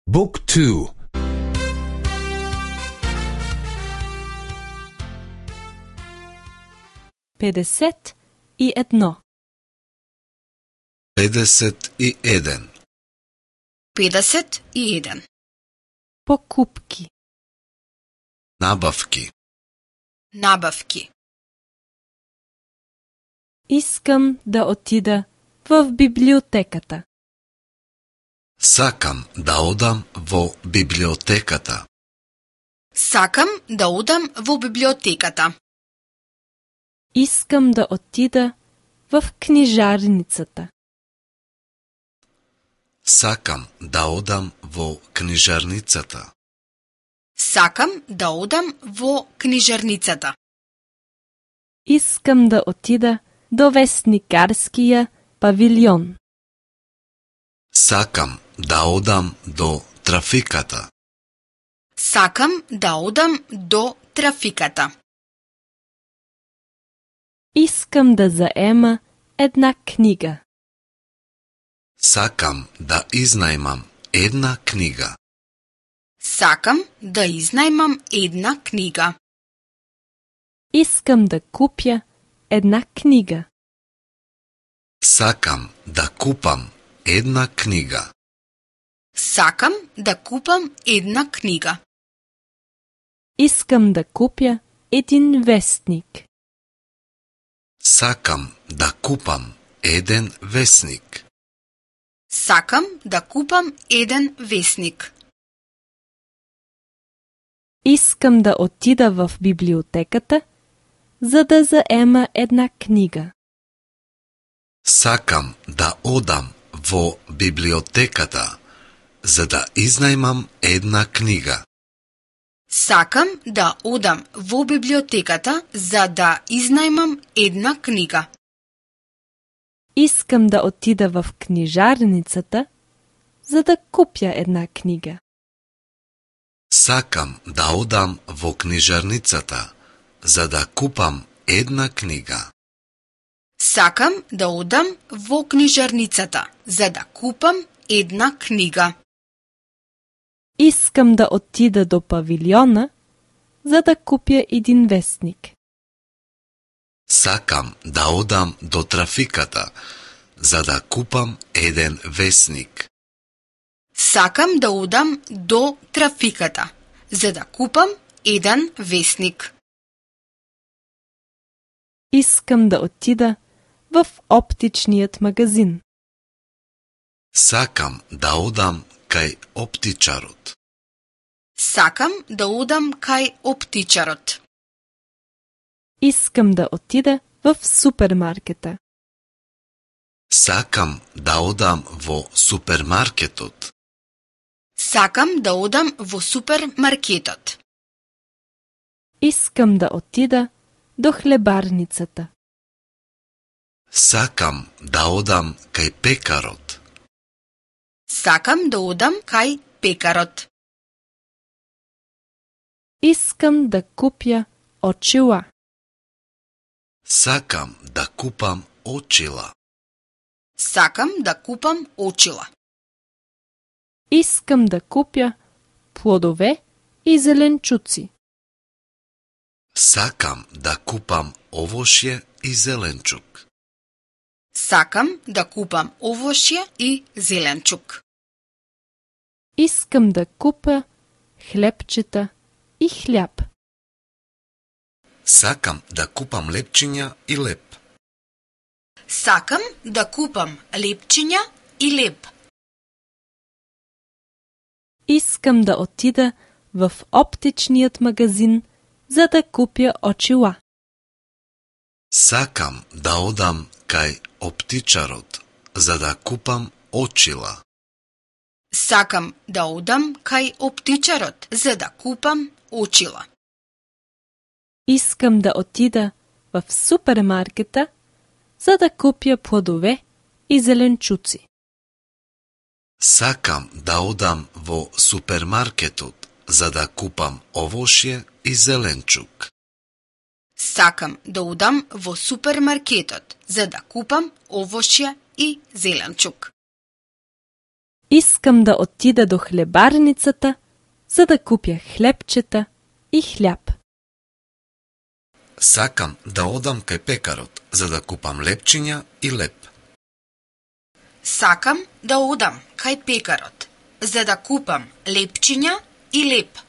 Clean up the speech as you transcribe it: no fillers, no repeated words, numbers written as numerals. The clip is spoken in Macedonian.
Book 2. 51. 51. 51. Покупки. Набавки. Набавки. Искам да отида в библиотеката. Сакам да одам во библиотеката. Сакам да одам во библиотеката. Искам да отида в книжарницата. Сакам да одам во книжарницата. Сакам да одам во книжарницата. Искам да отида до весникарския павилион. Сакам да одам до трафиката. Сакам да одам до трафиката. Искам да заема една книга. Сакам да изнајмам една книга. Сакам да изнајмам една книга. Искам да купя една книга. Сакам да купам една книга. Сакам да купам една книга. Искам да купя един вестник. Сакам да купам еден весник. Сакам да купам еден весник. Искам да отида в библиотеката, за да заема една книга. Сакам да одам во библиотеката, за да изнајмам една книга. Сакам да одам во библиотеката за да изнајмам една книга. Искам да отида в книжарницата, за да купя една книга. Сакам да одам во книжарницата, за да купам една книга. Сакам да одам во книжарницата за да купам една книга. Искам да отида до павилиона, за да купя един вестник. Сакам да одам до трафиката, за да купам еден весник. Сакам да одам до трафиката за да купам еден весник. Искам да отида в оптичниот магазин. Сакам да одам кај оптичарот. Сакам да одам кај оптичарот. Искам да отида в супермаркета. Сакам да одам во супермаркетот. Сакам да одам во супермаркетот. Искам да отида до хлебарницата. Сакам да одам кај пекарот. Сакам да одам кај пекарот. Искам да купя очила. Сакам да купам очила. Сакам да купам очила. Искам да купя плодове и зеленчуци. Сакам да купам овошје и зеленчук. Сакам да купам овошје и зеленчук. Искам да купя хлебчета и хляб. Сакам да купам лепчиња и леп. Сакам да купам лепчиња и леп. Искам да отида в оптичниот магазин за да купя очила. Сакам да одам кај оптичарот, за да купам очила. Сакам да одам кај оптичарот за да купам очила. Искам да отида в супермаркета за да купя плодове и зеленчуци. Сакам да одам во супермаркетот, за да купам овошје и зеленчук. Сакам да одам во супермаркетот за да купам овошје и зеленчук. Искам да отида до хлебарницата, за да купя хлебчета и хляб. Сакам да одам кај пекарот, за да купам лепчиња и леп. Сакам да одам кај пекарот, за да купам лепчиња и леп.